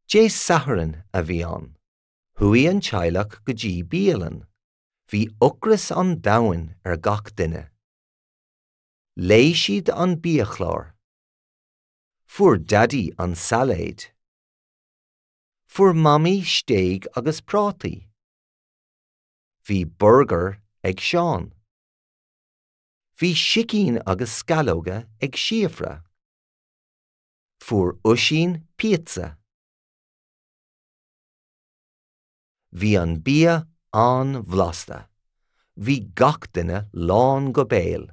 Dé Sathairn a bhí ann. Chuaigh an teaghlach go dtí bialann. Bhí ocras an domhain ar gach duine. Léigh siad an biachlár. Fuair Daidí an sailéad. Fuair Mamaí stéig agus prátaí. Bhí burgar ag Seán. Bhí sicín agus sceallóga ag Síofra. Fuair Oisín píotsa. Bhí an bia an-bhlasta. Bhí gach duine lán go béal.